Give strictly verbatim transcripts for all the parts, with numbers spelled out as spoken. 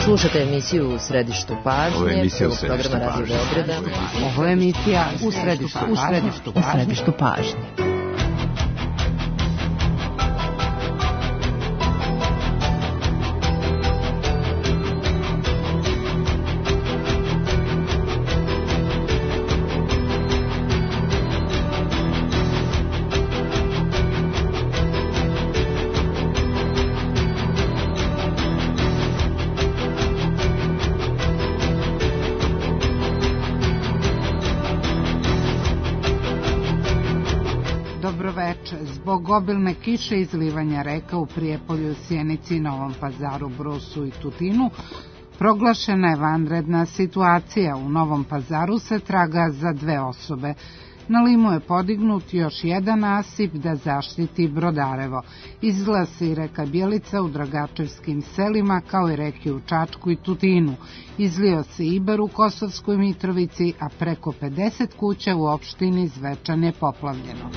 Slušate emisiju U središtu pažnje. Ovo je emisija U središtu središtu pažnje. Ovo je emisija U središtu pažnje. U središtu pažnje. U središtu pažnje. Zbog obilne kiše i izlivanja reka u Prijepolju, Sjenici, Novom Pazaru, Brusu i Tutinu, proglašena je vanredna situacija. U Novom Pazaru se traga za dve osobe. Na Limu je podignut još jedan nasip da zaštiti Brodarevo. Izlila se i reka Bjelica u Dragačevskim selima, kao i reke u Čačku i Tutinu. Izlio se Ibar u Kosovskoj Mitrovici, a preko pedeset kuća u opštini Zvečan je poplavljeno.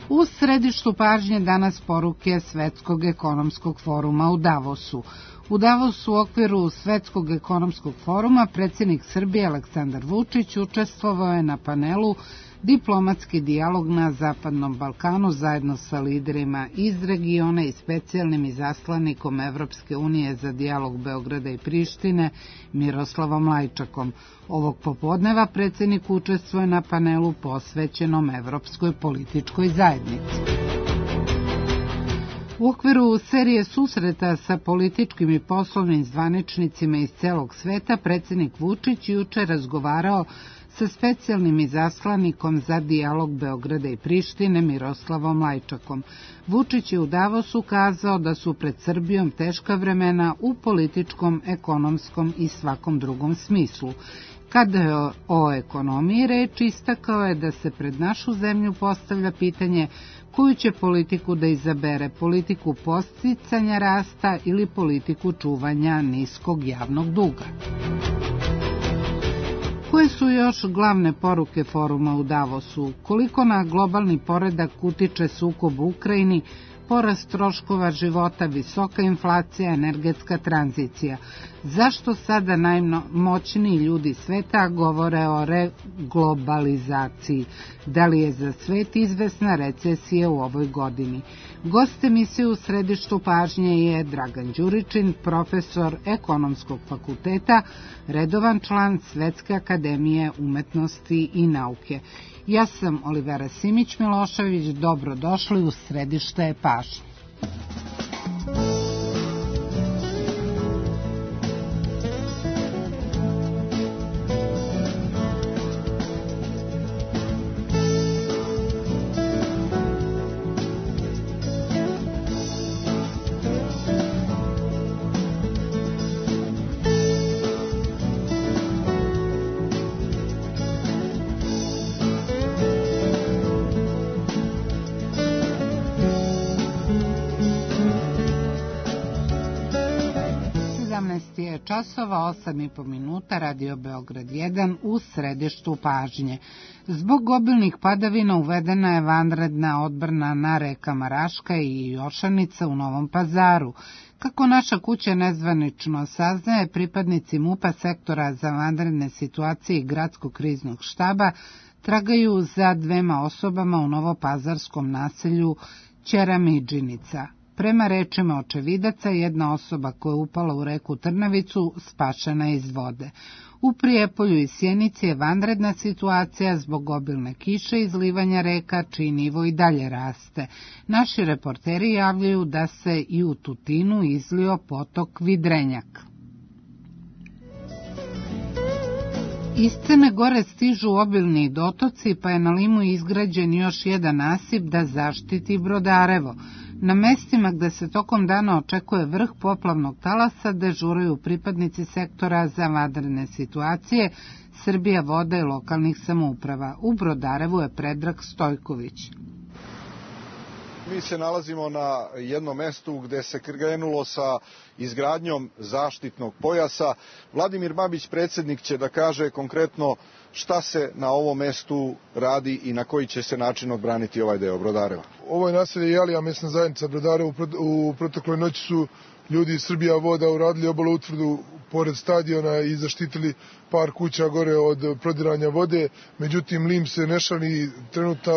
U središtu pažnje danas poruke Svetskog ekonomskog foruma u Davosu. U Davosu u okviru Svetskog ekonomskog foruma predsjednik Srbije Aleksandar Vučić učestvovao je na panelu Diplomatski dijalog na Zapadnom Balkanu zajedno sa liderima iz regiona i specijalnim izaslanikom Evropske unije za dijalog Beograda i Prištine Miroslavom Lajčakom. Ovog popodneva predsjednik učestvuje na panelu posvećenom Evropskoj političkoj zajednici. U okviru serije susreta sa političkim i poslovnim zvaničnicima iz celog sveta, predsjednik Vučić juče razgovarao sa specijalnim izaslanikom za dijalog Beograda i Prištine Miroslavom Lajčakom. Vučić je u Davosu kazao da su pred Srbijom teška vremena u političkom, ekonomskom i svakom drugom smislu. Kada je o ekonomiji reč, istakao je da se pred našu zemlju postavlja pitanje koju će politiku da izabere, politiku podsticanja rasta ili politiku čuvanja niskog javnog duga. Koje su još glavne poruke foruma u Davosu? Koliko na globalni poredak utiče sukob u Ukrajini, porast troškova života, visoka inflacija, energetska tranzicija? Zašto sada najmoćniji ljudi sveta govore o reglobalizaciji? Da li je za svet izvesna recesija u ovoj godini? Gost emisije U središtu pažnje je Dragan Đuričin, profesor Ekonomskog fakulteta, redovan član Svetske akademije umetnosti i nauke. Ja sam Olivera Simić-Milošević, dobrodošli u središte pažnje. Časova, osam i po minuta, Radio Beograd jedan u središtu pažnje. Zbog obilnih padavina uvedena je vanredna odbrana na rekama Raška i Jošanica u Novom Pazaru. Kako naša kuća nezvanično saznaje, pripadnici MUP-a sektora za vanredne situacije i gradskog kriznog štaba tragaju za dvema osobama u novopazarskom naselju Ćeramidžinica. Prema rečima očevidaca, jedna osoba koja je upala u reku Trnavicu spašena iz vode. U Prijepolju i Sjenici je vanredna situacija zbog obilne kiše i izlivanja reka, čiji nivo i dalje raste. Naši reporteri javljaju da se i u Tutinu izlio potok Vidrenjak. Iz Crne Gore stižu obilni dotoci, pa je na Limu izgrađen još jedan nasip da zaštiti Brodarevo. Na mestima gde se tokom dana očekuje vrh poplavnog talasa dežuraju pripadnici sektora za vanredne situacije, Srbija voda i lokalnih samouprava. U Brodarevu je Predrag Stojković. Mi se nalazimo na jednom mestu gde se krenulo sa izgradnjom zaštitnog pojasa. Vladimir Babić, predsjednik, će da kaže konkretno šta se na ovom mestu radi i na koji će se način odbraniti ovaj deo Brodareva. Ovo je naselje Jalija, mesna zajednica Brodare. U protekloj noći su ljudi iz Srbija voda uradili obalu utvrdu pored stadiona i zaštitili par kuća gore od prodiranja vode. Međutim, lim se ne šali, trenutna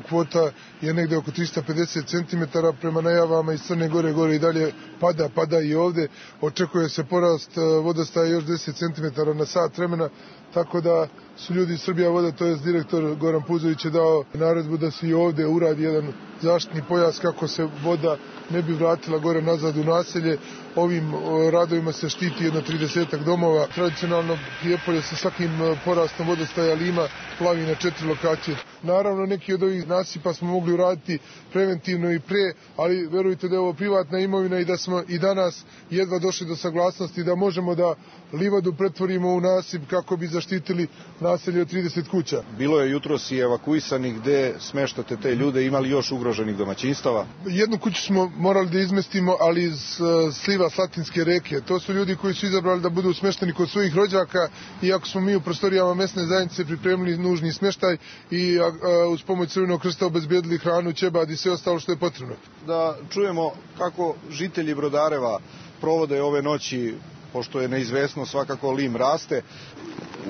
kvota je negde oko trista pedeset centimetara, prema najavama iz Crne Gore, gore i dalje pada, pada i ovde. Očekuje se porast vodostaja još deset centimetara na sat vremena, tako da su ljudi iz Srbija voda, to je direktor Goran Puzović je dao naredbu da se i ovde uradi jedan zaštitni pojas kako se voda ne bi vratila gore nazad u naselje. Ovim radovima se štiti jedno tridesetak domova. Tradicionalno Prijepolje sa svakim porastom vodostaja lima plavi na četiri lokacije. Naravno, neki od ovih nasipa smo mogli uraditi preventivno i pre, ali verujte da je ovo privatna imovina i da smo i danas jedva došli do saglasnosti da možemo da livadu pretvorimo u nasip kako bi zaštitili naselje od trideset kuća. Bilo je jutros i evakuisani, gde smeštate te ljude, imali još ugroženih domaćinstava? Jednu kuću smo morali da izmestimo, ali iz sliva Slatinske reke. To su ljudi koji su izabrali da budu smešteni kod svojih rođaka, iako smo mi u prostorijama mesne zajednice pripremili nužni smeštaj i a, a, uz pomoć Crvenog krsta obezbedili hranu, ćebad i sve ostalo što je potrebno. Da čujemo kako žitelji Brodareva provode ove noći, pošto je neizvesno, svakako lim raste.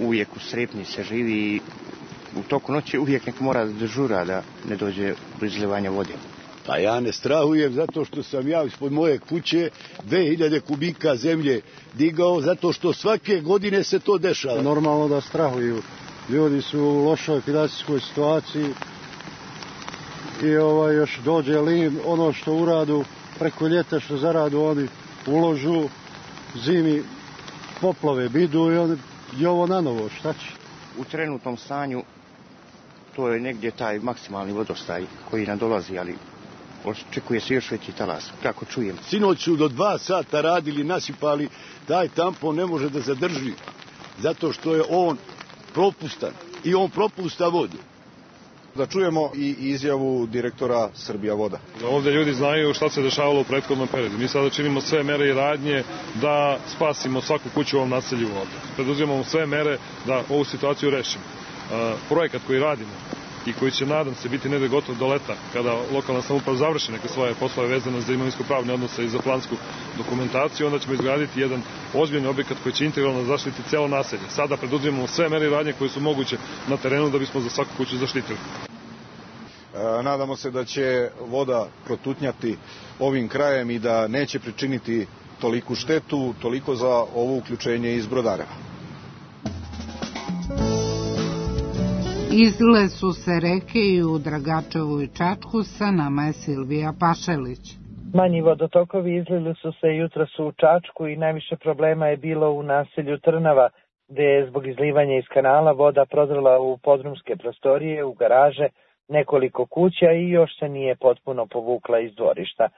Uvijek u strepnji se živi i u toku noći uvijek neko mora da dežura da ne dođe do izlivanja vode. Pa ja ne strahujem zato što sam ja ispod moje kuće dve hiljade kubika zemlje digao, zato što svake godine se to dešava. Normalno da strahuju. Ljudi su u lošoj finansijskoj situaciji i ovaj, još dođe lim, ono što uradu preko ljeta, što zaradu oni uložu, zimi poplave bidu i, on, i ovo na novo, šta će? U trenutnom stanju to je negdje taj maksimalni vodostaj koji nam dolazi, ali očekuje se još veći talas, kako čujem. Sinoć su do dva sata radili, nasipali, taj tampon ne može da zadrži, zato što je on propustan i on propusta vodu. Da čujemo i izjavu direktora Srbija voda. Ovdje ljudi znaju šta se dešavalo u prethodnom periodu. Mi sada činimo sve mere i radnje da spasimo svaku kuću u ovom naselju ovdje. Preduzimamo sve mere da ovu situaciju rešimo. Uh, projekat koji radimo i koji će, nadam se, biti negdje gotov do leta, kada lokalna samouprava završi neke svoje poslove vezane za imovinsko-pravne odnose i za plansku dokumentaciju, onda ćemo izgraditi jedan ozbiljni objekat koji će integralno zaštiti celo naselje. Sada preduzimamo sve mere i radnje koje su moguće na terenu da bismo za svaku kuću zaštitili. E, nadamo se da će voda protutnjati ovim krajem i da neće pričiniti toliku štetu, toliko za ovo uključenje iz Brodareva. Izlile su se reke i u Dragačevu i Čačku, sa nama je Silvija Pašelić. Manji vodotokovi izlili su se jutros u Čačku i najviše problema je bilo u naselju Trnava, gde je zbog izlivanja iz kanala voda prodrla u podrumske prostorije, u garaže, nekoliko kuća i još se nije potpuno povukla iz dvorišta.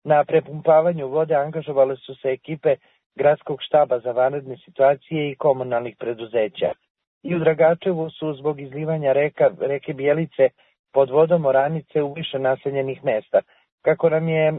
Na prepumpavanju vode angažovale su se ekipe Gradskog štaba za vanredne situacije i komunalnih preduzeća. I u Dragačevu su zbog izlivanja reka, reke Bijelice pod vodom oranice u više naseljenih mesta. Kako nam je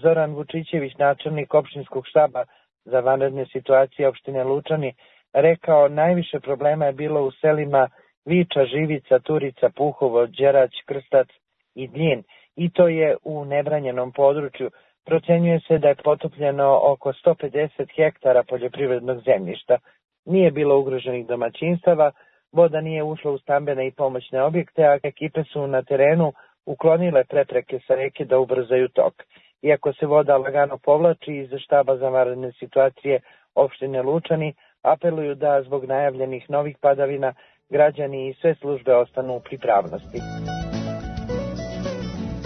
Zoran Vučićević, načelnik opštinskog štaba za vanredne situacije opštine Lučani, rekao, najviše problema je bilo u selima Viča, Živica, Turica, Puhovo, Đerać, Krstac i Dlin. I to je u nebranjenom području. Procenjuje se da je potopljeno oko sto pedeset hektara poljoprivrednog zemljišta. Nije bilo ugroženih domaćinstava, voda nije ušla u stambene i pomoćne objekte, a ekipe su na terenu uklonile prepreke sa reke da ubrzaju tok. Iako se voda lagano povlači, iz štaba za vanredne situacije opštine Lučani apeluju da zbog najavljenih novih padavina građani i sve službe ostanu u pripravnosti.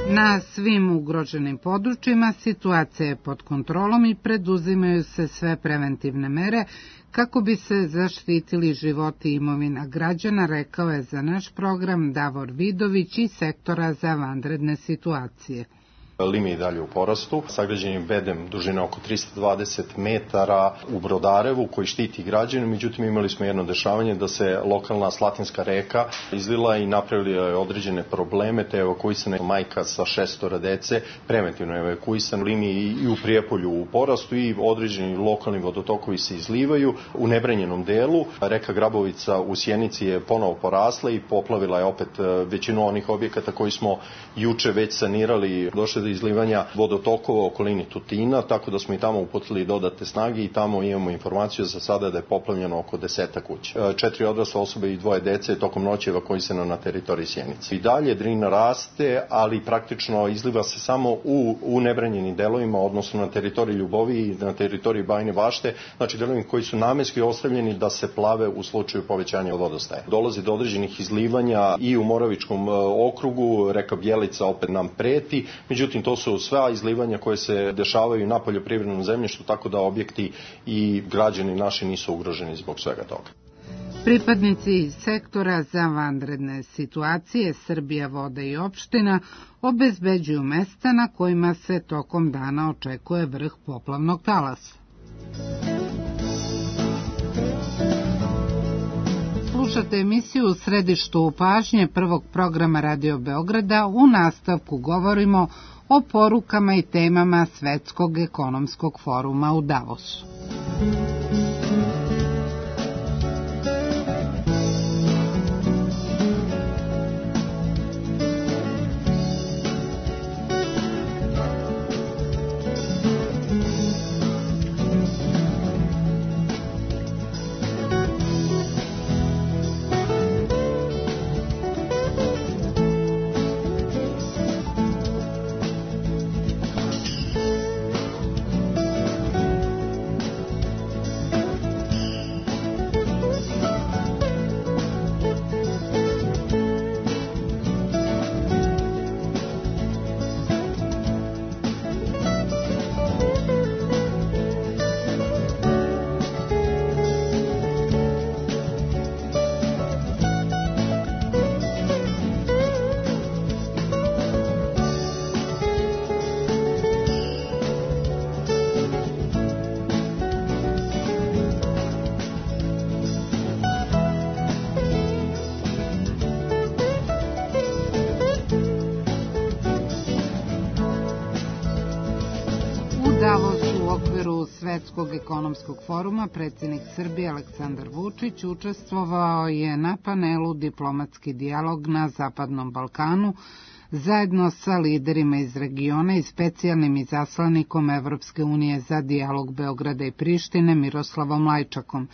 Na svim ugroženim područjima situacija je pod kontrolom i preduzimaju se sve preventivne mere kako bi se zaštitili životi i imovina građana, rekao je za naš program Davor Vidović iz sektora za vanredne situacije. Lim je i dalje u porastu. Sagrađen je bedem dužine oko trista dvadeset metara u Brodarevu koji štiti građane, međutim imali smo jedno dešavanje da se lokalna Slatinska reka izlila i napravila je određene probleme, te evakuisana je majka sa šestora dece, preventivno evakuisan. Lim je i u Prijepolju u porastu i određeni lokalni vodotokovi se izlivaju. U nebranjenom delu reka Grabovica u Sjenici je ponovo porasla i poplavila je opet većinu onih objekata koji smo juče već sanirali. Došle do izlivanja vodotokova u okolini Tutina, tako da smo i tamo uputili dodatne snage i tamo imamo informaciju za sada da je poplavljeno oko deseta kuća. Četiri odrasle osobe i dvoje dece tokom noći evakuisano na teritoriji Sjenice. I dalje Drina raste, ali praktično izliva se samo u, u nebranjenim delovima, odnosno na teritoriji Ljubovi i na teritoriji Bajine Bašte, znači delovi koji su namenski ostavljeni da se plave u slučaju povećanja vodostaja. Dolazi do određenih izlivanja i u Moravičkom okrugu, reka Bjelica opet nam preti, međutim to su sva izlivanja koje se dešavaju na poljoprivrednom zemljištu, tako da objekti i građani naši nisu ugroženi zbog svega toga. Pripadnici sektora za vanredne situacije Srbija, voda i opština obezbeđuju mesta na kojima se tokom dana očekuje vrh poplavnog talasa. Slušate emisiju U središtu pažnje prvog programa Radio Beograda. U nastavku govorimo o porukama i temama Svetskog ekonomskog foruma u Davosu. U okviru Svetskog ekonomskog foruma predsjednik Srbije Aleksandar Vučić učestvovao je na panelu Diplomatski dijalog na Zapadnom Balkanu zajedno sa liderima iz regiona i specijalnim izaslanikom Evropske unije za dijalog Beograda i Prištine Miroslavom Lajčakom.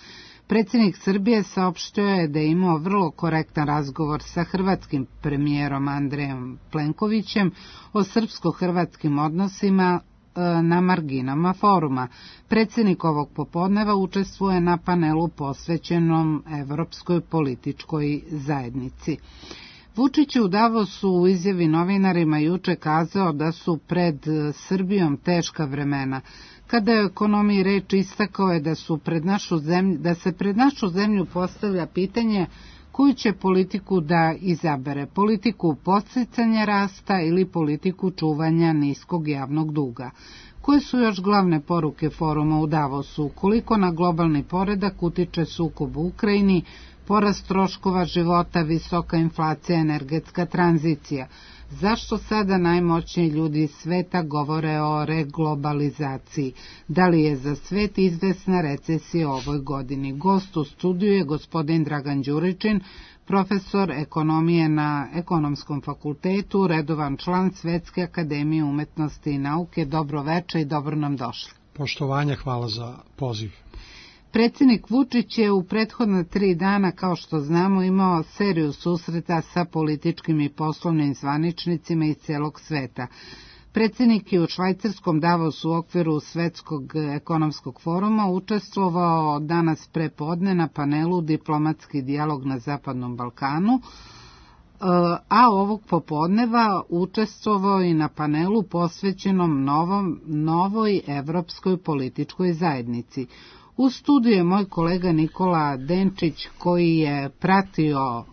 Predsjednik Srbije saopštio je da je imao vrlo korektan razgovor sa hrvatskim premijerom Andrejom Plenkovićem o srpsko-hrvatskim odnosima na marginama foruma. Predsjednik ovog popodneva učestvuje na panelu posvećenom Evropskoj političkoj zajednici. Vučić je u Davosu u izjavi novinarima juče kazao da su pred Srbijom teška vremena. Kada je o ekonomiji reč, istakao je da, su pred našu zemlju, da se pred našu zemlju postavlja pitanje koju će politiku da izabere, politiku podsticanja rasta ili politiku čuvanja niskog javnog duga. Koje su još glavne poruke foruma u Davosu? Koliko na globalni poredak utiče sukob u Ukrajini, porast troškova života, visoka inflacija, energetska tranzicija? Zašto sada najmoćniji ljudi sveta govore o reglobalizaciji? Da li je za svet izvesna recesija u ovoj godini? Gost u studiju je gospodin Dragan Đuričin, profesor ekonomije na Ekonomskom fakultetu, redovan član Svetske akademije umetnosti i nauke. Dobro veče i dobro nam došli. Poštovanje, hvala za poziv. Predsjednik Vučić je u prethodna tri dana, kao što znamo, imao seriju susreta sa političkim i poslovnim zvaničnicima iz celog sveta. Predsjednik je u švajcarskom Davosu u okviru Svetskog ekonomskog foruma učestvovao danas prepodne na panelu Diplomatski dijalog na Zapadnom Balkanu, a ovog popodneva učestvovao i na panelu posvećenom novom, novoj evropskoj političkoj zajednici. U studiju je moj kolega Nikola Denčić koji je pratio uh,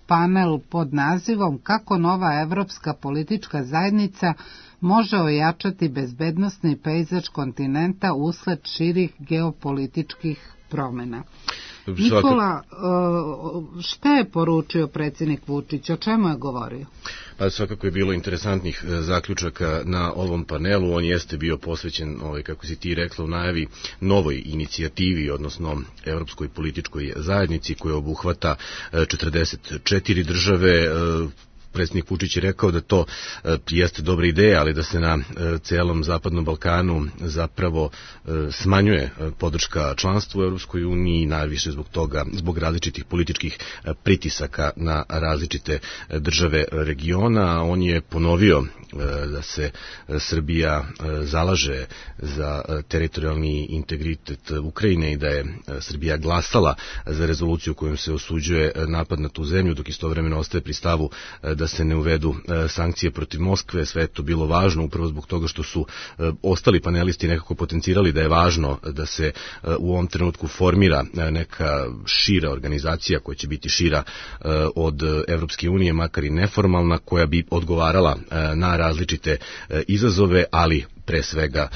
panel pod nazivom Kako nova evropska politička zajednica može ojačati bezbednosni pejzaž kontinenta usled širih geopolitičkih promjena. Nikola, šta je poručio predsjednik Vučić, o čemu je govorio? Pa svakako je bilo interesantnih zaključaka na ovom panelu. On jeste bio posvećen, ovaj, kako si ti rekla u najavi, novoj inicijativi, odnosno Evropskoj političkoj zajednici koja obuhvata četrdeset četiri države. Predsjednik Vučić je rekao da to e, jeste dobra ideja, ali da se na e, celom Zapadnom Balkanu zapravo e, smanjuje e, podrška članstvu u Europskoj uniji, najviše zbog toga, zbog različitih političkih e, pritisaka na različite e, države regiona. On je ponovio e, da se e, Srbija e, zalaže za e, teritorijalni integritet Ukrajine i da je e, Srbija glasala za rezoluciju kojom se osuđuje e, napad na tu zemlju, dok istovremeno ostaje pri stavu e, da da se ne uvedu e, sankcije protiv Moskve. Sve je to bilo važno upravo zbog toga što su e, ostali panelisti nekako potencirali da je važno da se e, u ovom trenutku formira e, neka šira organizacija koja će biti šira e, od Evropske unije, makar i neformalna, koja bi odgovarala e, na različite e, izazove, ali pre svega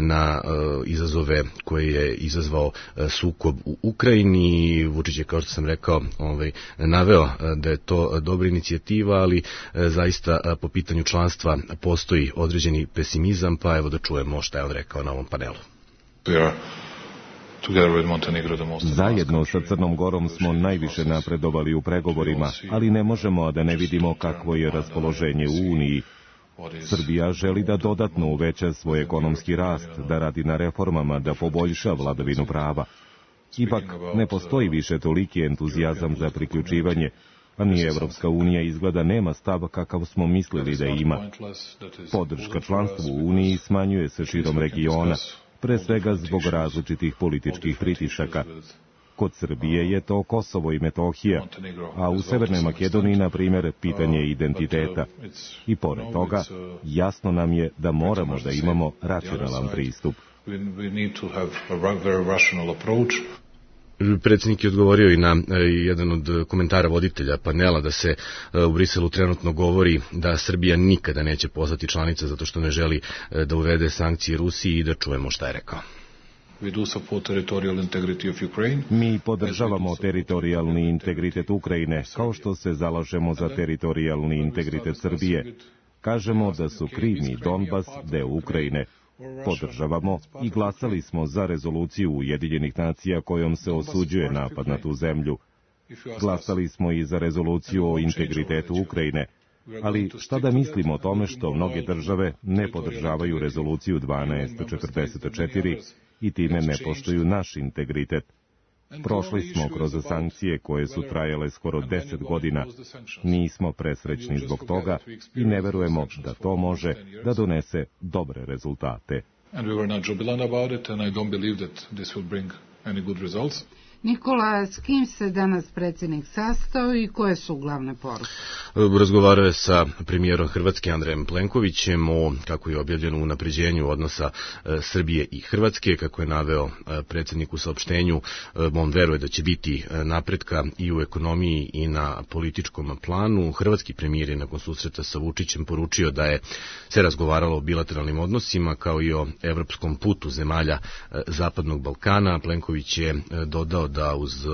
na izazove koje je izazvao sukob u Ukrajini. Vučić je, kao što sam rekao, ovaj, naveo da je to dobra inicijativa, ali zaista po pitanju članstva postoji određeni pesimizam, pa evo da čujemo šta je on rekao na ovom panelu. Zajedno sa Crnom Gorom smo najviše napredovali u pregovorima, ali ne možemo da ne vidimo kakvo je raspoloženje u Uniji. Srbija želi da dodatno uveća svoj ekonomski rast, da radi na reformama, da poboljša vladavinu prava. Ipak ne postoji više toliki entuzijazam za priključivanje, a ni Evropska unija izgleda nema stav kakav smo mislili da ima. Podrška članstvu u Uniji smanjuje se širom regiona, pre svega zbog različitih političkih pritisaka. Kod Srbije je to Kosovo i Metohija, a u Severnoj Makedoniji, na primjer, pitanje identiteta. I pored toga, jasno nam je da moramo da imamo racionalan pristup. Predsjednik je odgovorio i na jedan od komentara voditelja panela da se u Briselu trenutno govori da Srbija nikada neće postati članica zato što ne želi da uvede sankcije Rusiji, i da čujemo šta je rekao. Mi podržavamo teritorijalni integritet Ukrajine, kao što se zalažemo za teritorijalni integritet Srbije. Kažemo da su Krim i Donbas deo Ukrajine. Podržavamo i glasali smo za rezoluciju Ujedinjenih nacija kojom se osuđuje napad na tu zemlju. Glasali smo i za rezoluciju o integritetu Ukrajine. Ali šta da mislimo o tome što mnoge države ne podržavaju rezoluciju dvanaest četrdeset četiri i time ne poštuju naš integritet? Prošli smo kroz sankcije koje su trajale skoro deset godina. Nismo presrećni zbog toga i ne verujemo da to može da donese dobre rezultate. Nikola, s kim se danas predsjednik sastao i koje su glavne poruke? Razgovarao je sa premijerom Hrvatske Andrejem Plenkovićem o, kako je objavljeno, unapređenju odnosa e, Srbije i Hrvatske. Kako je naveo e, predsjednik u saopštenju, e, on veruje da će biti napretka i u ekonomiji i na političkom planu. Hrvatski premijer je nakon susreta sa Vučićem poručio da je se razgovaralo o bilateralnim odnosima kao i o evropskom putu zemalja e, Zapadnog Balkana. Plenković je e, dodao da uz,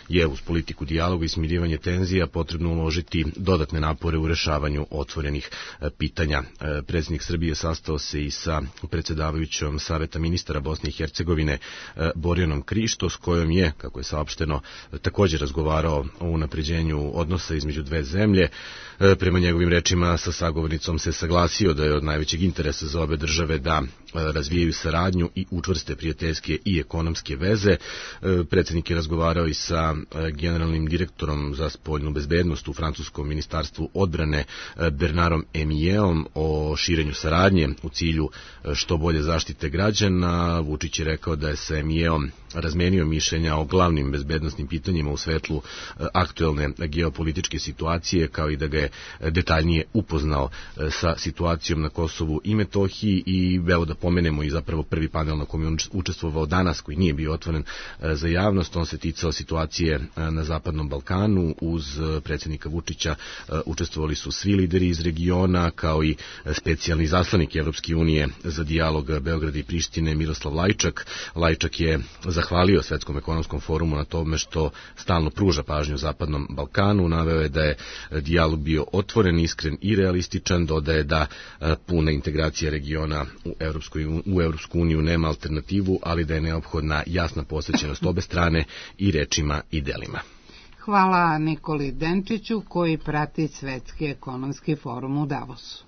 je uz politiku dijaloga i smirivanje tenzija potrebno uložiti dodatne napore u rešavanju otvorenih pitanja. Predsjednik Srbije sastao se i sa predsjedavajućom Saveta ministara Bosne i Hercegovine Borjanom Krišto, s kojom je, kako je saopšteno, također razgovarao o unapređenju odnosa između dve zemlje. Prema njegovim rečima, sa sagovornicom se saglasio da je od najvećeg interesa za obe države da razvijaju saradnju i učvrste prijateljske i ekonomske veze. Predsjednik predsjednik je razgovarao i sa generalnim direktorom za spoljnu bezbednost u francuskom ministarstvu odbrane Bernardom Emijeom o širenju saradnje u cilju što bolje zaštite građana. Vučić je rekao da je sa Emijeom razmenio mišljenja o glavnim bezbednosnim pitanjima u svetlu aktuelne geopolitičke situacije, kao i da ga je detaljnije upoznao sa situacijom na Kosovu i Metohiji. I evo da pomenemo i zapravo prvi panel na kojem je učestvovao danas, koji nije bio otvoren za javnost, on se ticao situacije na Zapadnom Balkanu. Uz predsjednika Vučića učestvovali su svi lideri iz regiona, kao i specijalni zaslanik Evropske unije za dijalog Beograda i Prištine Miroslav Lajčak. Lajčak je zahvalio Svetskom ekonomskom forumu na tome što stalno pruža pažnju Zapadnom Balkanu. Naveo je da je dijalog bio otvoren, iskren i realističan. Dodaje da puna integracija regiona u, Evropskoj, u Evropsku uniju nema alternativu, ali da je neophodna jasna posvećenost obe strane i rečima i delima. Hvala Nikoli Denčiću koji prati Svetski ekonomski forum u Davosu.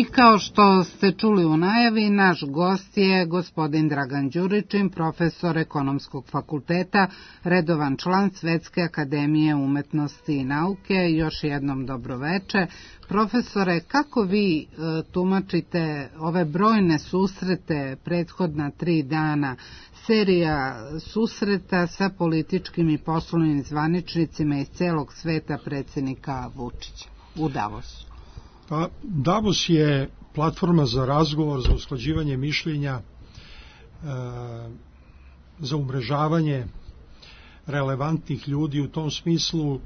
I kao što ste čuli u najavi, naš gost je gospodin Dragan Đuričin, profesor Ekonomskog fakulteta, redovan član Svetske akademije umetnosti i nauke. Još jednom dobroveče. Profesore, kako vi e, tumačite ove brojne susrete prethodna tri dana, serija susreta sa političkim i poslovnim zvaničnicima iz celog sveta predsjednika Vučića u Davosu? Pa, Davos je platforma za razgovor, za usklađivanje mišljenja, e, za umrežavanje relevantnih ljudi. U tom smislu,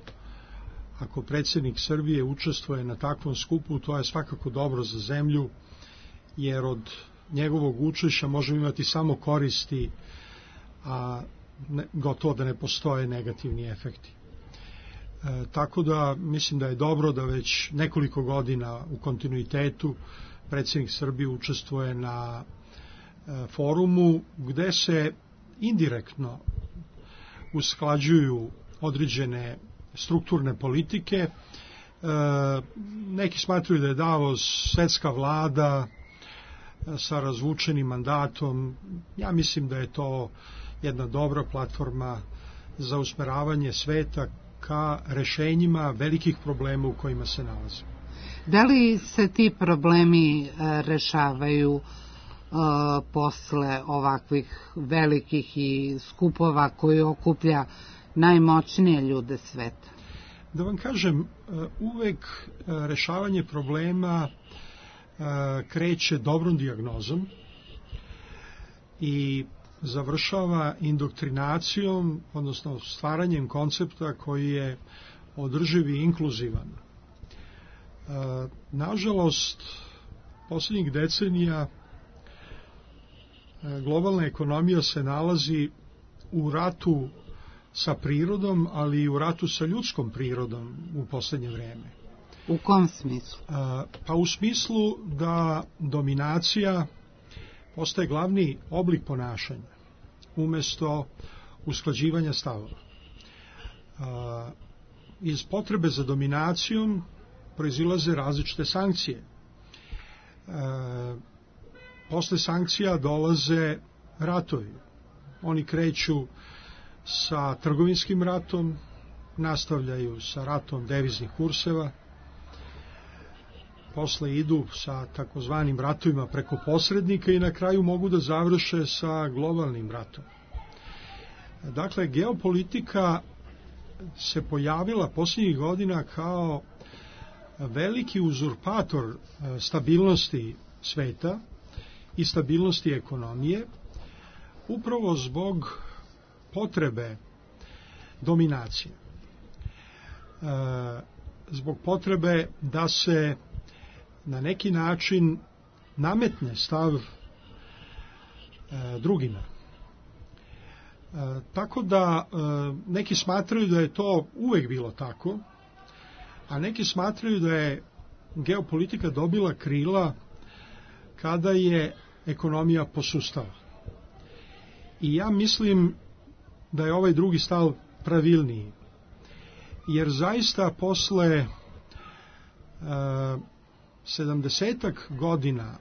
ako predsjednik Srbije učestvuje na takvom skupu, to je svakako dobro za zemlju, jer od njegovog učešća možemo imati samo koristi, a ne, gotovo da ne postoje negativni efekti. E, tako da mislim da je dobro da već nekoliko godina u kontinuitetu predsjednik Srbije učestvuje na e, forumu gde se indirektno usklađuju određene strukturne politike. E, neki smatruju da je Davos svetska vlada e, sa razvučenim mandatom. Ja mislim da je to jedna dobra platforma za usmeravanje sveta ka rešenjima velikih problema u kojima se nalazimo. Da li se ti problemi rešavaju uh, posle ovakvih velikih i skupova koji okuplja najmoćnije ljude sveta? Da vam kažem, uvek rešavanje problema kreće dobrom dijagnozom i završava indoktrinacijom, odnosno stvaranjem koncepta koji je održiv i inkluzivan. Nažalost, posljednjih decenija globalna ekonomija se nalazi u ratu sa prirodom, ali i u ratu sa ljudskom prirodom u posljednje vreme. U kom smislu? Pa u smislu da dominacija postaje glavni oblik ponašanja umesto usklađivanja stavova. Iz potrebe za dominacijom proizilaze različite sankcije. Posle sankcija dolaze ratovi. Oni kreću sa trgovinskim ratom, nastavljaju sa ratom deviznih kurseva, posle idu sa takozvanim ratovima preko posrednika i na kraju mogu da završe sa globalnim ratom. Dakle, geopolitika se pojavila posljednjih godina kao veliki uzurpator stabilnosti sveta i stabilnosti ekonomije, upravo zbog potrebe dominacije. Zbog potrebe da se na neki način nametne stav e, drugima. E, tako da e, neki smatraju da je to uvek bilo tako, a neki smatraju da je geopolitika dobila krila kada je ekonomija posustala. I ja mislim da je ovaj drugi stav pravilniji, jer zaista posle sedamdesetak godina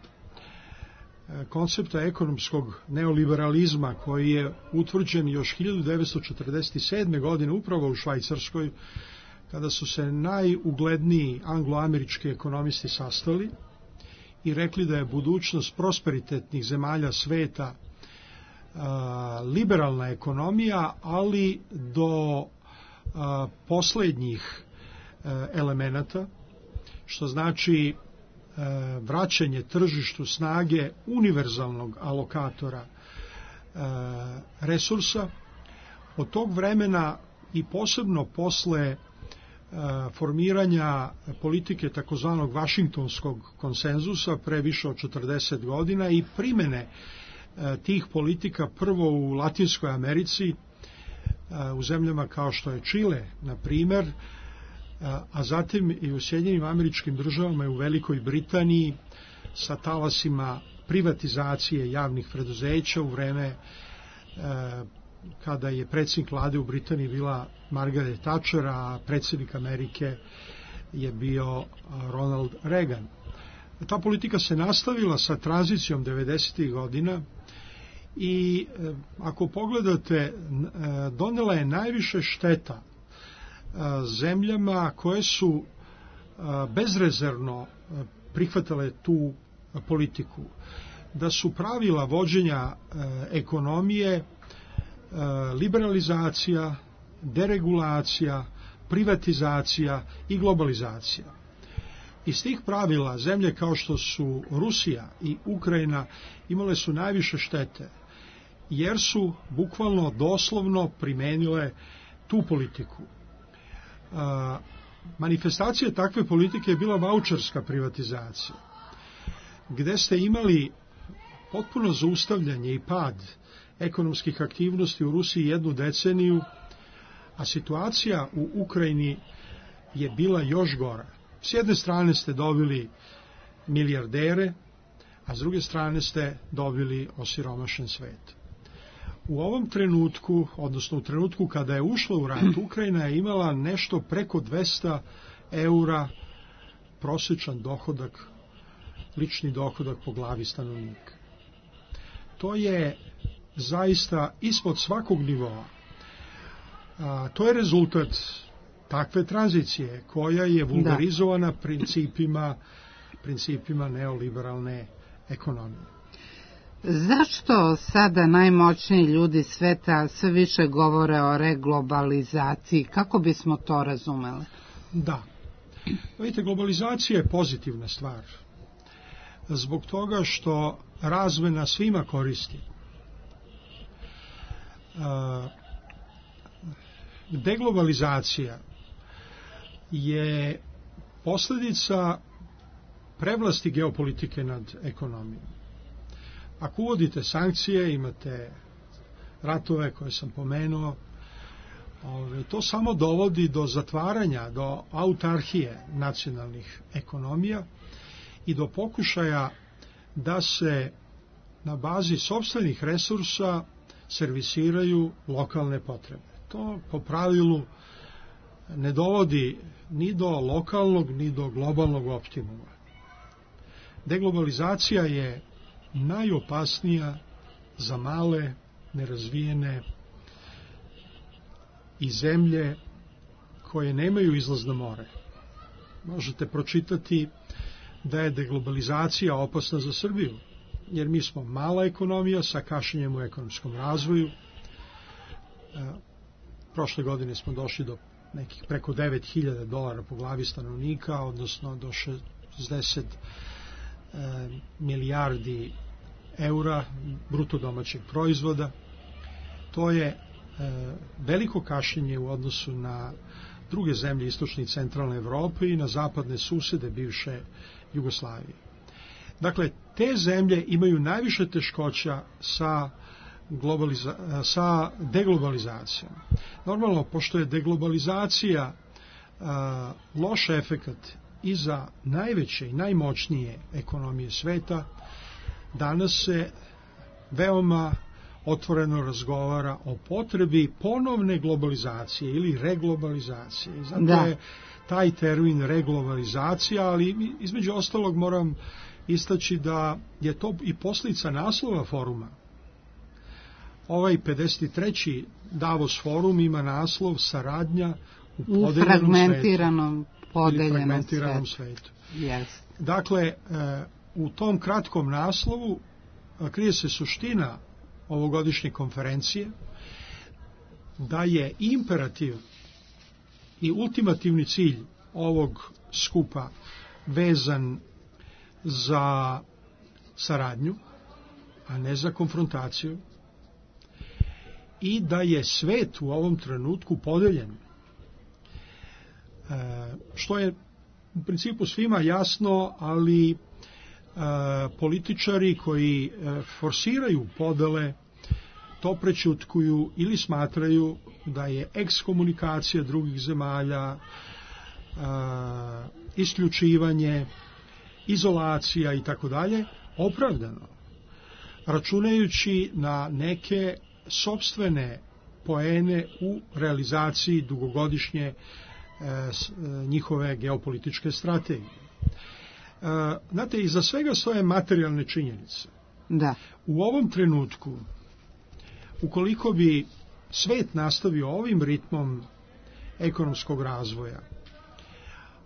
koncepta ekonomskog neoliberalizma koji je utvrđen još hiljadu devetsto četrdeset sedme. godine upravo u Švajcarskoj, kada su se najugledniji angloamerički ekonomisti sastali i rekli da je budućnost prosperitetnih zemalja sveta a, liberalna ekonomija, ali do a, poslednjih a, elemenata, što znači a, vraćanje tržištu snage univerzalnog alokatora a, resursa. Od tog vremena i posebno posle formiranja politike takozvanog Vašingtonskog konsenzusa pre više od četrdeset godina i primene tih politika prvo u Latinskoj Americi, u zemljama kao što je Čile, na primer, a zatim i u Sjedinjenim Američkim Državama i u Velikoj Britaniji sa talasima privatizacije javnih preduzeća u vreme kada je predsjednik vlade u Britaniji bila Margaret Thatcher, a predsjednik Amerike je bio Ronald Reagan. Ta politika se nastavila sa tranzicijom devedesetih godina i ako pogledate, donela je najviše šteta zemljama koje su bezrezervno prihvatale tu politiku, da su pravila vođenja ekonomije liberalizacija, deregulacija, privatizacija i globalizacija. Iz tih pravila zemlje kao što su Rusija i Ukrajina imale su najviše štete, jer su bukvalno doslovno primenile tu politiku. Manifestacija takve politike je bila vaučerska privatizacija, gde ste imali potpuno zaustavljanje i pad ekonomskih aktivnosti u Rusiji jednu deceniju, a situacija u Ukrajini je bila još gora. S jedne strane ste dobili milijardere, a s druge strane ste dobili osiromašen svet. U ovom trenutku, odnosno u trenutku kada je ušla u rat, Ukrajina je imala nešto preko dvesta eura prosječan dohodak, lični dohodak po glavi stanovnika. To je zaista ispod svakog nivoa. A, to je rezultat takve tranzicije koja je vulgarizovana da. principima, principima neoliberalne ekonomije. Zašto sada najmoćniji ljudi sveta sve više govore o reglobalizaciji? Kako bismo to razumeli? Da. Vidite, globalizacija je pozitivna stvar. Zbog toga što razmena svima koristi. Deglobalizacija je posljedica prevlasti geopolitike nad ekonomijom. Ako uvodite sankcije, imate ratove koje sam pomenuo, to samo dovodi do zatvaranja, do autarhije nacionalnih ekonomija i do pokušaja da se na bazi sopstvenih resursa servisiraju lokalne potrebe. To po pravilu ne dovodi ni do lokalnog, ni do globalnog optimuma. Deglobalizacija je najopasnija za male, nerazvijene i zemlje koje nemaju izlaz na more. Možete pročitati da je deglobalizacija opasna za Srbiju, jer mi smo mala ekonomija sa kašnjenjem u ekonomskom razvoju. Prošle godine smo došli do nekih preko devet hiljada dolara po glavi stanovnika, odnosno do šezdeset milijardi eura bruto domaćeg proizvoda. To je veliko kašnjenje u odnosu na druge zemlje istočne i centralne Evrope i na zapadne susede bivše Jugoslavije. Dakle, te zemlje imaju najviše teškoća sa, globaliza- sa deglobalizacijom. Normalno, pošto je deglobalizacija a, loš efekat iza najveće i najmoćnije ekonomije sveta danas se veoma otvoreno razgovara o potrebi ponovne globalizacije ili reglobalizacije. I zato da. je taj termin reglobalizacija, ali između ostalog moram istaći da je to i posljedica naslova foruma. Ovaj pedeset treći Davos forum ima naslov saradnja u, u fragmentiranom, podeljenom fragmentiranom svetu. Yes. Dakle, u tom kratkom naslovu krije se suština ovogodišnje konferencije, da je imperativ i ultimativni cilj ovog skupa vezan za saradnju, a ne za konfrontaciju, i da je svet u ovom trenutku podeljen. E, što je u principu svima jasno, ali e, političari koji e, forsiraju podele to prećutkuju ili smatraju da je ekskomunikacija drugih zemalja, e, isključivanje, izolacija i tako dalje opravdano, računajući na neke sopstvene poene u realizaciji dugogodišnje e, s, e, njihove geopolitičke strategije. E, znate, iza svega stoje materijalne činjenice. Da. U ovom trenutku, ukoliko bi svet nastavio ovim ritmom ekonomskog razvoja,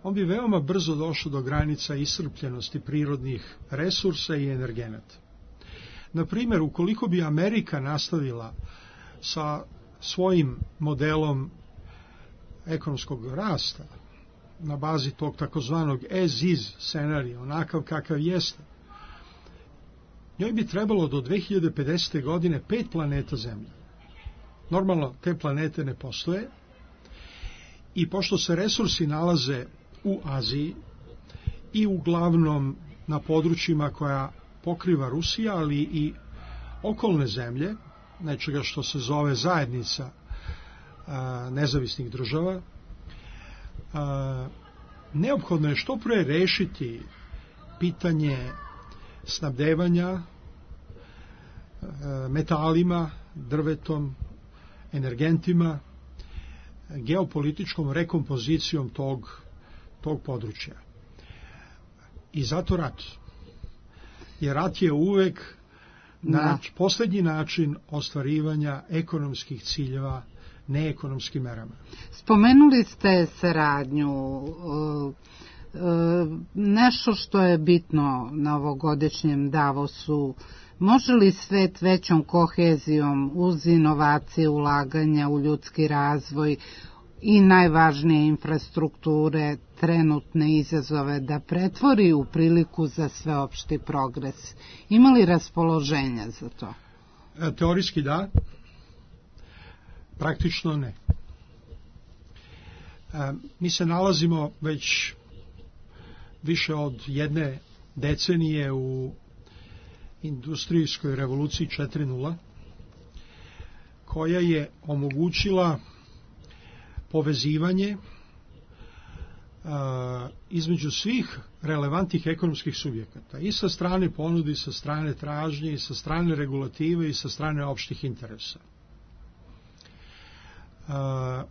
on bi veoma brzo došao do granica iscrpljenosti prirodnih resursa i energenata. Na primjer, ukoliko bi Amerika nastavila sa svojim modelom ekonomskog rasta na bazi tog takozvanog as is scenarija, onakav kakav jeste, njoj bi trebalo do dve hiljade pedesete. godine pet planeta Zemlje. Normalno, te planete ne postoje i pošto se resursi nalaze u Aziji i uglavnom na područjima koja pokriva Rusija, ali i okolne zemlje, nečega što se zove zajednica a, nezavisnih država, a, neophodno je što pre rešiti pitanje snabdevanja a, metalima, drvetom, energentima, geopolitičkom rekompozicijom tog, tog područja. I zato rat. Jer rat je uvek nač, posljednji način ostvarivanja ekonomskih ciljeva neekonomskim merama. Spomenuli ste saradnju, nešto što je bitno na ovogodišnjem Davosu. Može li svet većom kohezijom uz inovacije, ulaganja u ljudski razvoj i najvažnije infrastrukture, trenutne izazove da pretvori u priliku za sveopšti progres? Ima li raspoloženja za to? Teorijski da, praktično ne. Mi se nalazimo već više od jedne decenije u industrijskoj revoluciji četiri nula, koja je omogućila povezivanje a, između svih relevantnih ekonomskih subjekata, i sa strane ponude, i sa strane tražnje, i sa strane regulative, i sa strane opštih interesa. A,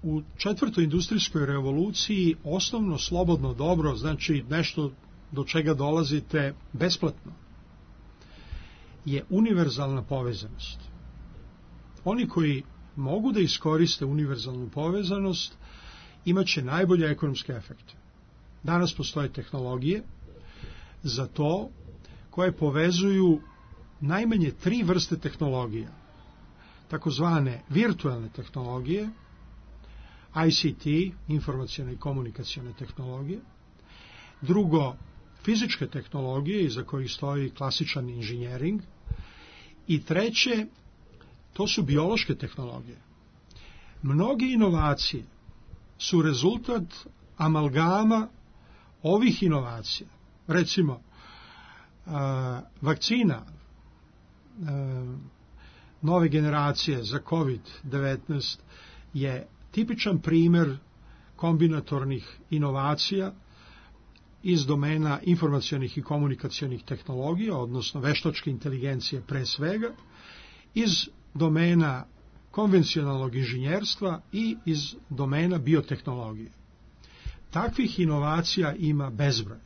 u četvrtoj industrijskoj revoluciji osnovno slobodno dobro, znači nešto do čega dolazite besplatno, je univerzalna povezanost. Oni koji mogu da iskoriste univerzalnu povezanost imaće najbolje ekonomske efekte. Danas postoje tehnologije za to koje povezuju najmanje tri vrste tehnologija. Takozvane virtualne tehnologije, I C T, informacione i komunikacione tehnologije. Drugo, fizičke tehnologije iza kojih stoji klasičan inženjering. I treće, to su biološke tehnologije. Mnoge inovacije su rezultat amalgama ovih inovacija. Recimo, vakcina nove generacije za kovid devetnaest je tipičan primer kombinatornih inovacija iz domena informacionih i komunikacionih tehnologija, odnosno veštačke inteligencije pre svega, iz domena konvencionalnog inženjerstva i iz domena biotehnologije. Takvih inovacija ima bezbroj.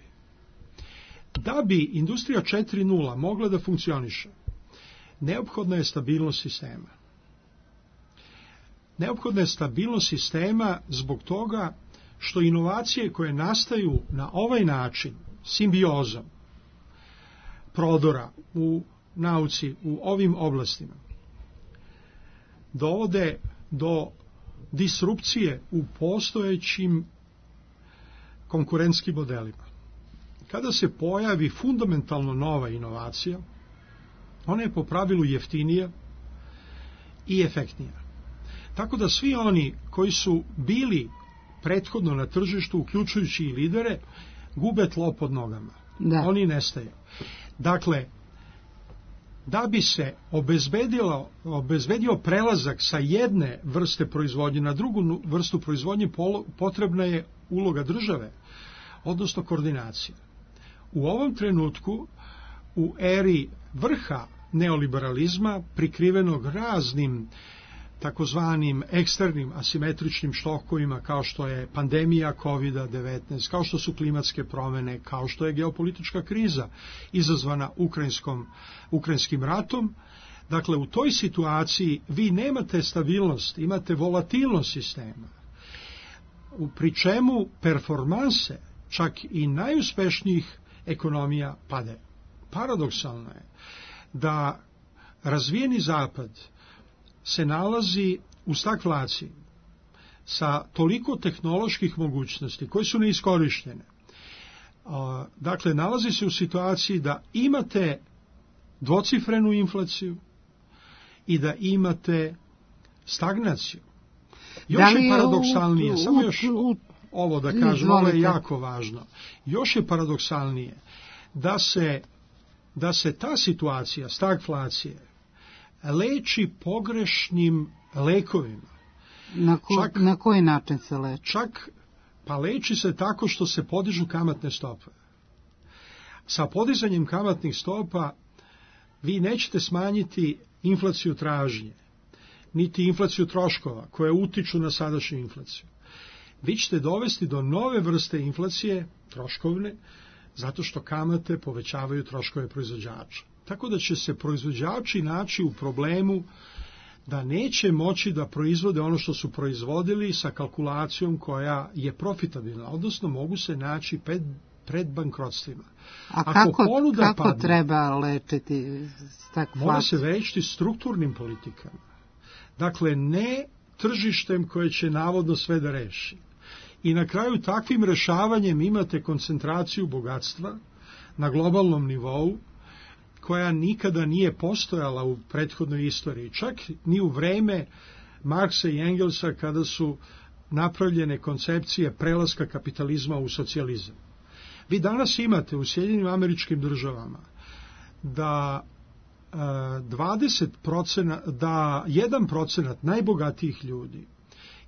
Da bi industrija četiri nula mogla da funkcioniše, neophodna je stabilnost sistema. Neophodna je stabilnost sistema zbog toga što inovacije koje nastaju na ovaj način, simbiozom, prodora u nauci, u ovim oblastima, dovode do disrupcije u postojećim konkurentskim modelima. Kada se pojavi fundamentalno nova inovacija, ona je po pravilu jeftinija i efektnija. Tako da svi oni koji su bili prethodno na tržištu, uključujući i lidere, gube tlo pod nogama. Da. Oni nestaju. Dakle, da bi se obezbedilo, obezbedio prelazak sa jedne vrste proizvodnje na drugu vrstu proizvodnje, potrebna je uloga države, odnosno koordinacija. U ovom trenutku, u eri vrha neoliberalizma, prikrivenog raznim takozvanim eksternim asimetričnim štokovima kao što je pandemija kovid devetnaest, kao što su klimatske promene, kao što je geopolitička kriza izazvana ukrajinskom, ukrajinskim ratom. Dakle, u toj situaciji vi nemate stabilnost, imate volatilnost sistema, pri čemu performanse čak i najuspešnijih ekonomija pade. Paradoksalno je da razvijeni zapad se nalazi u stagflaciji sa toliko tehnoloških mogućnosti koje su neiskorištene. Dakle, nalazi se u situaciji da imate dvocifrenu inflaciju i da imate stagnaciju. Još je paradoksalnije, u, samo još u, ovo da kažem, ovo je jako važno, još je paradoksalnije da se, da se ta situacija stagflacije leči pogrešnim lekovima. Na, ko, čak, na koji način se leči? Čak, pa leči se tako što se podižu kamatne stope. Sa podizanjem kamatnih stopa vi nećete smanjiti inflaciju tražnje, niti inflaciju troškova koje utiču na sadašnju inflaciju. Vi ćete dovesti do nove vrste inflacije, troškovne, zato što kamate povećavaju troškove proizvođača. Tako da će se proizvođači naći u problemu da neće moći da proizvode ono što su proizvodili sa kalkulacijom koja je profitabilna, odnosno mogu se naći pred, pred bankrotstvima. A Ako kako, kako padne, treba lečiti stagflaciju? Mora se lečiti strukturnim politikama. Dakle, ne tržištem koje će navodno sve da reši. I na kraju takvim rešavanjem imate koncentraciju bogatstva na globalnom nivou, koja nikada nije postojala u prethodnoj istoriji, čak ni u vreme Marksa i Engelsa kada su napravljene koncepcije prelaska kapitalizma u socijalizam. Vi danas imate u Sjedinjenim Američkim Državama da dvadeset procenta, da jedan procenat najbogatijih ljudi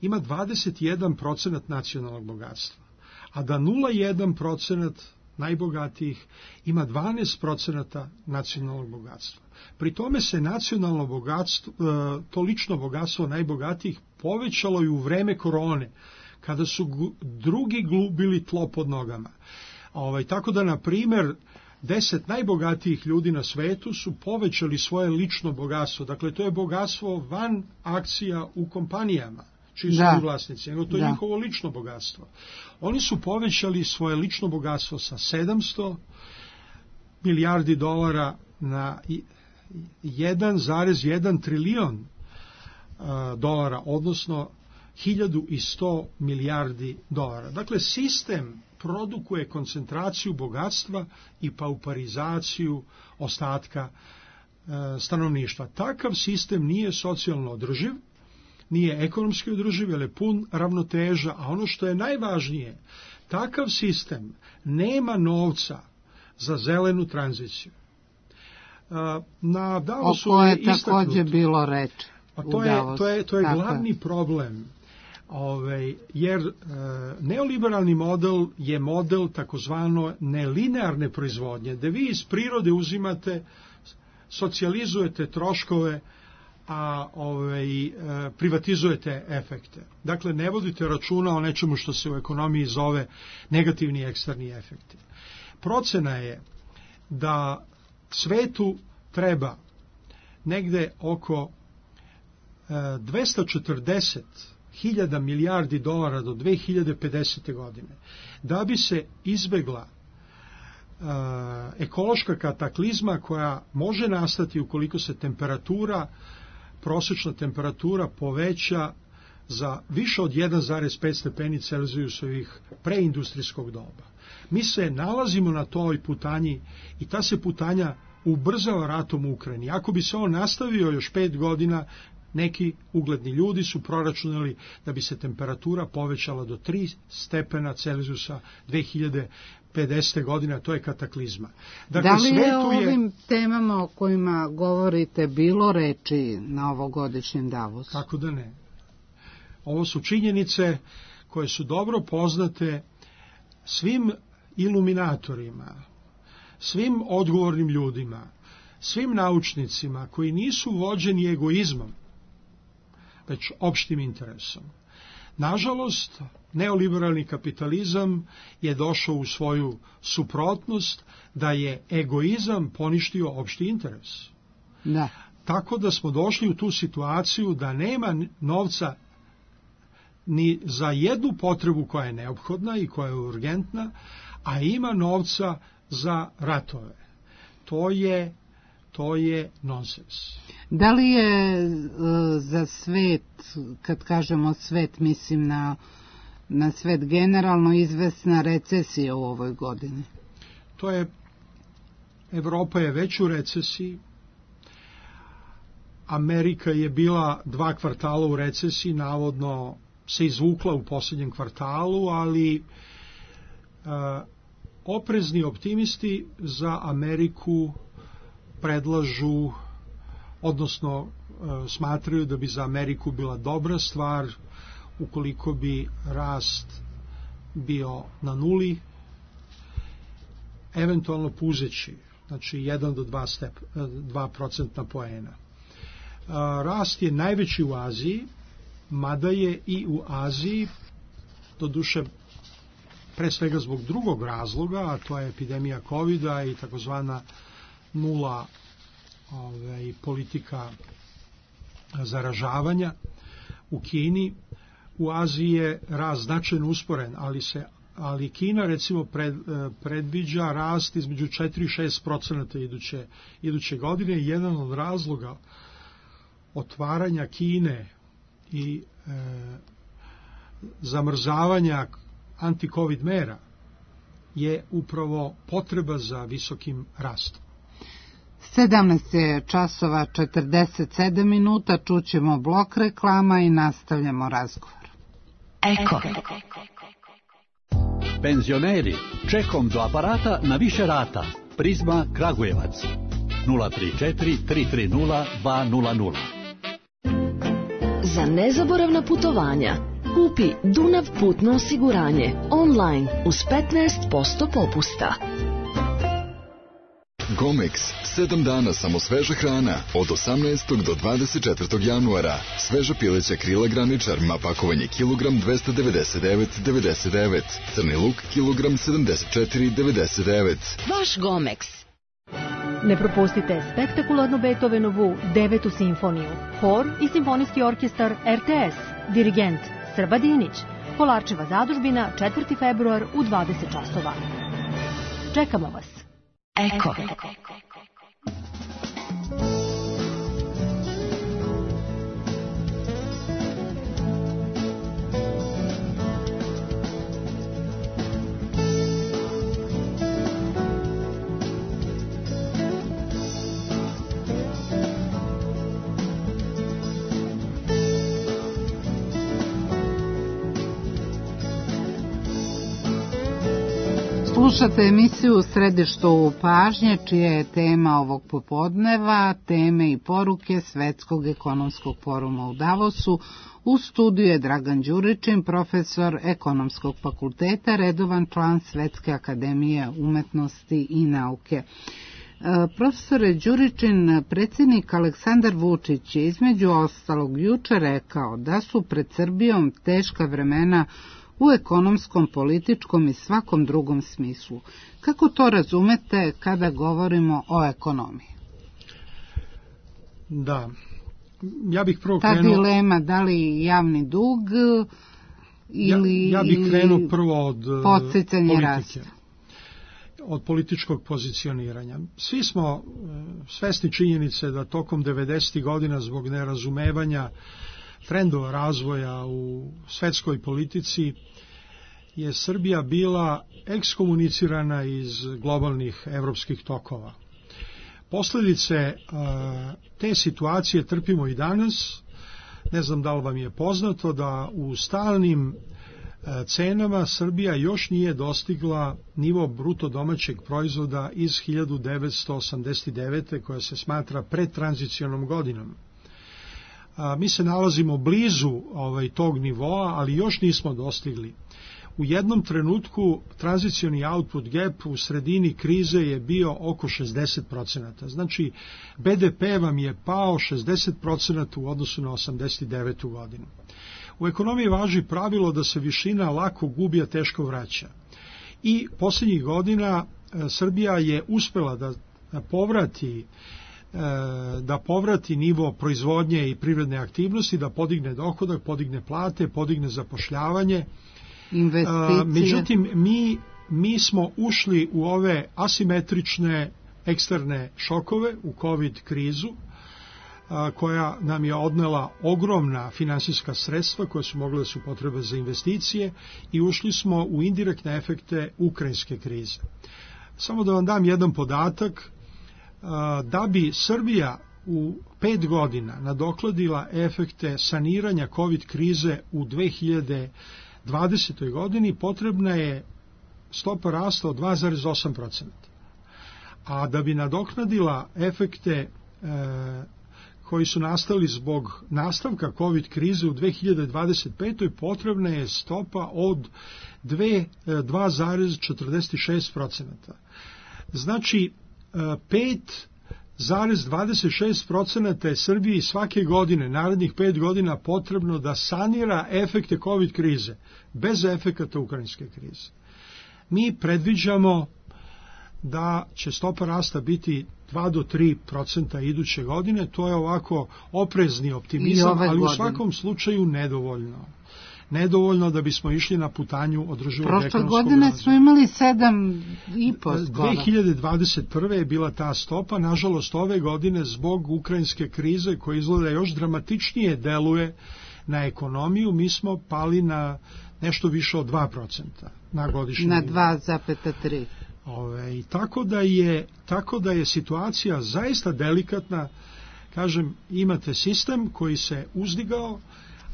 ima dvadeset jedan procenat nacionalnog bogatstva, a da nula zarez jedan procenat najbogatijih ima dvanaest procenata nacionalnog bogatstva. Pri tome se nacionalno bogatstvo, to lično bogatstvo najbogatijih povećalo i u vreme korone, kada su drugi glubili tlo pod nogama. Ovaj, tako da, na primjer, deset najbogatijih ljudi na svetu su povećali svoje lično bogatstvo. Dakle, to je bogatstvo van akcija u kompanijama, čiji su da. vlasnici, nego to je da. njihovo lično bogatstvo. Oni su povećali svoje lično bogatstvo sa sedamsto milijardi dolara na jedan zarez jedan trilion dolara, odnosno hiljadu sto milijardi dolara. Dakle, sistem produkuje koncentraciju bogatstva i pauparizaciju ostatka stanovništva. Takav sistem nije socijalno održiv, nije ekonomski održiv, jer je pun ravnoteža, a ono što je najvažnije, takav sistem nema novca za zelenu tranziciju. Na Davosu je također bilo reči. A to je, to je, to je glavni problem. Ove, jer e, neoliberalni model je model takozvano nelinearne proizvodnje, da vi iz prirode uzimate, socijalizujete troškove, a ovaj, e, privatizujete efekte. Dakle, ne vodite računa o nečemu što se u ekonomiji zove negativni eksterni efekti. Procena je da svetu treba negde oko e, dvesta četrdeset hiljada milijardi dolara do dve hiljade pedesete. godine, da bi se izbegla e, ekološka kataklizma koja može nastati ukoliko se temperatura, prosječna temperatura poveća za više od jedan zarez pet stepeni Celzijusovih preindustrijskog doba. Mi se nalazimo na toj putanji i ta se putanja ubrzava ratom u Ukrajini. Ako bi se on nastavio još pet godina, neki ugledni ljudi su proračunali da bi se temperatura povećala do tri stepena Celzijusa dve hiljade pedesete. godine, a to je kataklizma. Dakle, da li je o je... ovim temama o kojima govorite bilo reči na ovogodišnjem Davosu? Kako da ne? Ovo su činjenice koje su dobro poznate svim iluminatorima, svim odgovornim ljudima, svim naučnicima koji nisu vođeni egoizmom, već opštim interesom. Nažalost, neoliberalni kapitalizam je došao u svoju suprotnost da je egoizam poništio opšti interes. Da. Tako da smo došli u tu situaciju da nema novca ni za jednu potrebu koja je neophodna i koja je urgentna, a ima novca za ratove. To je, to je nonsens. Da li je e, za svet, kad kažemo svet, mislim na, na svet generalno, izvesna recesija u ovoj godini? To je, Evropa je već u recesiji, Amerika je bila dva kvartala u recesiji, navodno se izvukla u posljednjem kvartalu, ali e, oprezni optimisti za Ameriku predlažu, odnosno e, smatraju da bi za Ameriku bila dobra stvar ukoliko bi rast bio na nuli, eventualno puzeći, znači jedan do dva, step, dva procentna poena. E, rast je najveći u Aziji, mada je i u Aziji, doduše pre svega zbog drugog razloga, a to je epidemija kovida i takozvana nula ovaj, politika zaražavanja u Kini. U Aziji je rast značajno usporen, ali se ali Kina recimo pred, predviđa rast između četiri i šest procenata iduće, iduće godine. Jedan od razloga otvaranja Kine i e, zamrzavanja anti-covid mera je upravo potreba za visokim rastom. sedamnaest je časova četrdeset sedam minuta, čućemo blok reklama i nastavljamo razgovor. Eko. Penzioneri, čekom do aparata na više rata. Prizma Kragujevac. nula tri četiri tri tri nula dva nula nula. Za nezaboravna putovanja kupi Dunav putno osiguranje online uz petnaest posto popusta. Gomex, sedam dana samo sveža hrana, od osamnaestog do dvadeset četvrtog januara. Sveža pileća krila graničar, ma pakovanje kilogram dvesta devedeset devet zarez devedeset devet. Crni luk kilogram sedamdeset četiri zarez devedeset devet. Vaš Gomex. Ne propustite spektakularnu Beethovenovu devetu simfoniju. Hor i simfonijski orkestar er te es. Dirigent Srba Dinić. Kolarčeva zadužbina, četvrti februar u dvadeset časova. Čekamo vas. Eko. Slušate emisiju U središtu pažnje, čija je tema ovog popodneva, teme i poruke Svetskog ekonomskog foruma u Davosu U studiju je Dragan Đuričin, profesor Ekonomskog fakulteta, redovan član Svetske akademije umetnosti i nauke. Profesore Đuričin, predsjednik Aleksandar Vučić je između ostalog juče rekao da su pred Srbijom teška vremena u ekonomskom, političkom i svakom drugom smislu. Kako to razumete kada govorimo o ekonomiji? Da, ja bih prvo Ta krenuo... Ta dilema, da li javni dug ili... Ja, ja bih krenuo prvo od podsticanja rasta. Od političkog pozicioniranja. Svi smo svesni činjenice da tokom devedesetih godina zbog nerazumevanja trendova razvoja u svetskoj politici je Srbija bila ekskomunicirana iz globalnih evropskih tokova. Posljedice te situacije trpimo i danas. Ne znam da li vam je poznato da u stalnim cenama Srbija još nije dostigla nivo bruto domaćeg proizvoda iz hiljadu devetsto osamdeset devete. koja se smatra predtranzicionom godinom. A, mi se nalazimo blizu ovaj, tog nivoa, ali još nismo dostigli. U jednom trenutku tranzicioni output gap u sredini krize je bio oko šezdeset procenata. Znači, be de pe vam je pao šezdeset procenata u odnosu na osamdeset devetu godinu. U ekonomiji važi pravilo da se višina lako gubi, a teško vraća. I posljednjih godina Srbija je uspela da povrati da povrati nivo proizvodnje i privredne aktivnosti, da podigne dohodak, podigne plate, podigne zapošljavanje. Investicije. Međutim, mi, mi smo ušli u ove asimetrične eksterne šokove, u COVID krizu, koja nam je odnela ogromna finansijska sredstva koje su mogle da su potrebe za investicije i ušli smo u indirektne efekte ukrajinske krize. Samo da vam dam jedan podatak, da bi Srbija u pet godina nadokladila efekte saniranja COVID krize u dve hiljade dvadesetoj godini, potrebna je stopa rasta od dva zarez osam procenta. A da bi nadoknadila efekte e, koji su nastali zbog nastavka COVID krize u dve hiljade dvadeset petoj potrebna je stopa od dva zarez četrdeset šest procenta. Znači, pet zarez dvadeset šest procenta je Srbiji svake godine, narednih pet godina, potrebno da sanira efekte COVID krize, bez efekata ukrajinske krize. Mi predviđamo da će stopa rasta biti dva do tri procenta iduće godine, to je ovako oprezni optimizam, ali u svakom slučaju nedovoljno. Nedovoljno da bismo išli na putanju održivog ekonomskog razvoja. Prošle godine smo imali sedam i po skoro. dve hiljade dvadeset prve. je bila ta stopa, nažalost ove godine zbog ukrajinske krize koja izgleda još dramatičnije deluje na ekonomiju, mi smo pali na nešto više od dva procenta na godišnjem. Na dva zarez tri. Ove, tako, da je, tako da je situacija zaista delikatna. Kažem, imate sistem koji se uzdigao,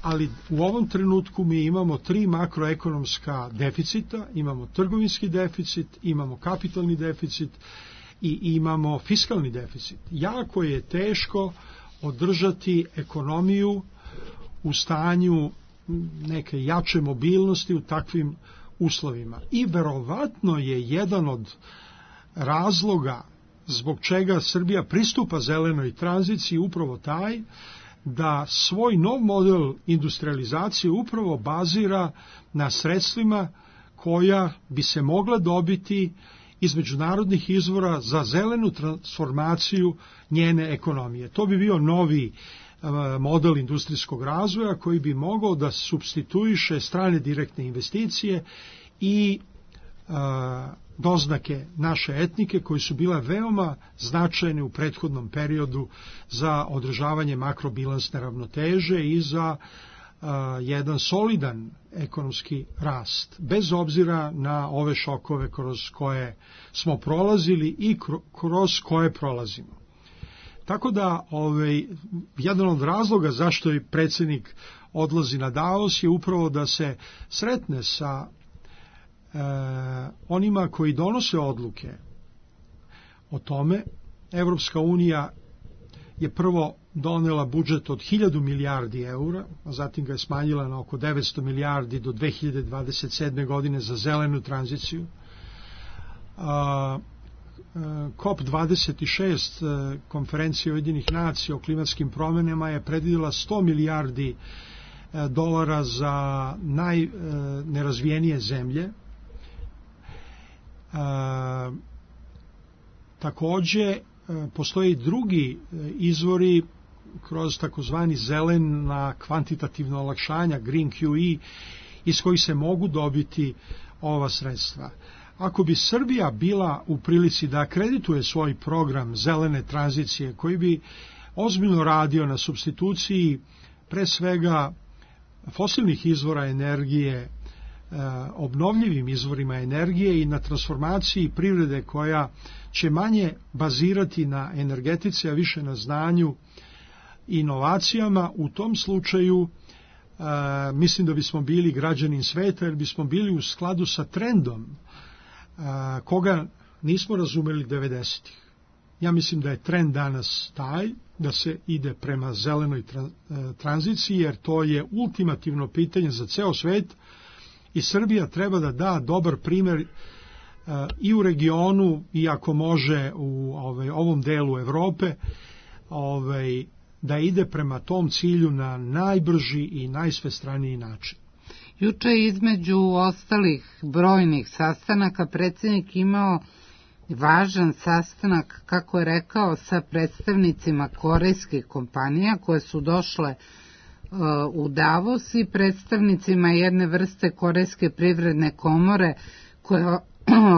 ali u ovom trenutku mi imamo tri makroekonomska deficita, imamo trgovinski deficit, imamo kapitalni deficit i imamo fiskalni deficit. Jako je teško održati ekonomiju u stanju neke jače mobilnosti u takvim uslovima. I verovatno je jedan od razloga zbog čega Srbija pristupa zelenoj tranziciji upravo taj da svoj nov model industrializacije upravo bazira na sredstvima koja bi se mogla dobiti iz međunarodnih izvora za zelenu transformaciju njene ekonomije. To bi bio novi model industrijskog razvoja koji bi mogao da supstituiše strane direktne investicije i a, doznake naše etnike koje su bile veoma značajne u prethodnom periodu za održavanje makrobilansne ravnoteže i za a, jedan solidan ekonomski rast, bez obzira na ove šokove kroz koje smo prolazili i kroz koje prolazimo. Tako da ovaj, jedan od razloga zašto je predsjednik odlazi na Davos je upravo da se sretne sa e, onima koji donose odluke o tome. Evropska unija je prvo donela budžet od hiljadu milijardi eura, a zatim ga je smanjila na oko devetsto milijardi do dve hiljade dvadeset sedme. godine za zelenu tranziciju. A, kop dvadeset šest konferencije Ujedinjenih nacija o klimatskim promjenama je predvidjela sto milijardi dolara za najnerazvijenije zemlje. A, takođe, postoje i drugi izvori kroz takozvani zelena kvantitativna olakšanja, Green Q E, iz kojih se mogu dobiti ova sredstva. Ako bi Srbija bila u prilici da akredituje svoj program zelene tranzicije, koji bi ozbiljno radio na supstituciji pre svega fosilnih izvora energije obnovljivim izvorima energije i na transformaciji privrede koja će manje bazirati na energetici, a više na znanju i inovacijama, u tom slučaju a, mislim da bismo bili građanin sveta, jer bismo bili u skladu sa trendom a, koga nismo razumeli devedesetih. Ja mislim da je trend danas taj da se ide prema zelenoj tra, tranziciji, jer to je ultimativno pitanje za ceo svet i Srbija treba da da dobar primer uh, i u regionu i ako može u ovaj, ovom delu Evrope ovaj, da ide prema tom cilju na najbrži i najsvestraniji način. Juče je između ostalih brojnih sastanaka predsjednik imao važan sastanak, kako je rekao, sa predstavnicima korejskih kompanija koje su došle u Davos i predstavnicima jedne vrste korejske privredne komore koja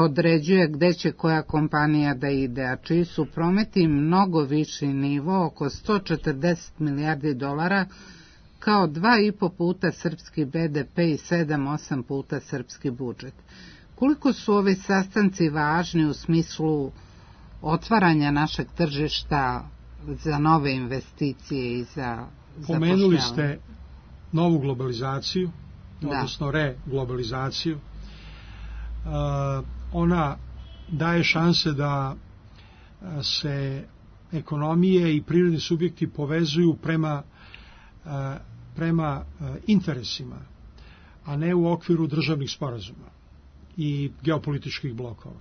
određuje gde će koja kompanija da ide, a čiji su prometi mnogo viši nivo, oko sto četrdeset milijardi dolara, kao dva i po puta srpski B D P i sedam osam puta srpski budžet. Koliko su ovi sastanci važni u smislu otvaranja našeg tržišta za nove investicije i za Pomenuli ste novu globalizaciju, da. odnosno reglobalizaciju. Uh, ona daje šanse da se ekonomije i privredni subjekti povezuju prema, uh, prema uh, interesima, a ne u okviru državnih sporazuma i geopolitičkih blokova.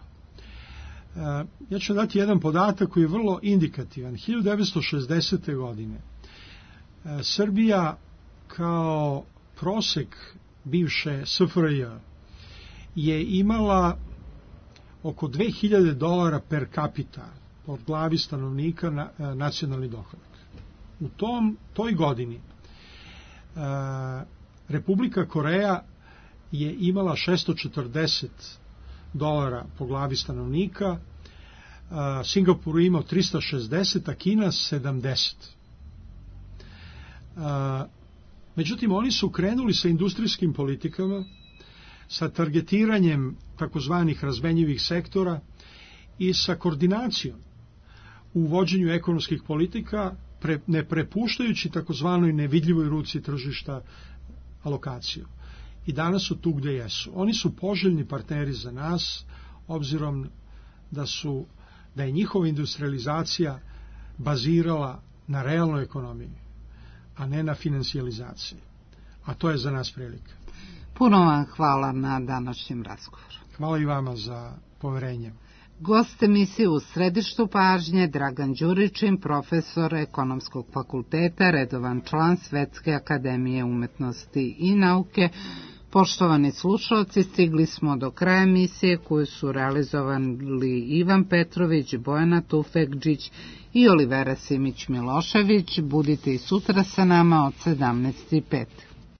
Uh, ja ću dati jedan podatak koji je vrlo indikativan. hiljadu devetsto šezdesete. godine Srbija kao prosek bivše S F R J je imala oko dve hiljade dolara per capita od glavi stanovnika na nacionalni dohodak. U tom, toj godini Republika Koreja je imala šesto četrdeset dolara po glavi stanovnika, Singapur je imao trista šezdeset, a Kina sedamdeset. Uh, međutim, oni su krenuli sa industrijskim politikama, sa targetiranjem takozvanih razmenjivih sektora i sa koordinacijom u vođenju ekonomskih politika, pre, ne prepuštajući takozvanoj nevidljivoj ruci tržišta alokaciju. I danas su tu gde jesu. Oni su poželjni partneri za nas, obzirom da su da je njihova industrializacija bazirala na realnoj ekonomiji, a ne na financijalizaciji. A to je za nas prilika. Puno vam hvala na današnjem razgovoru. Hvala i vama za poverenje. Gost emisije u središtu pažnje Dragan Đuričin, profesor Ekonomskog fakulteta, redovan član Svetske akademije umetnosti i nauke. Poštovani slušalci, stigli smo do kraja emisije koju su realizovali Ivan Petrović, Bojana Tufekđić i Olivera Simić Milošević. Budite i sutra sa nama od sedamnaest i pet.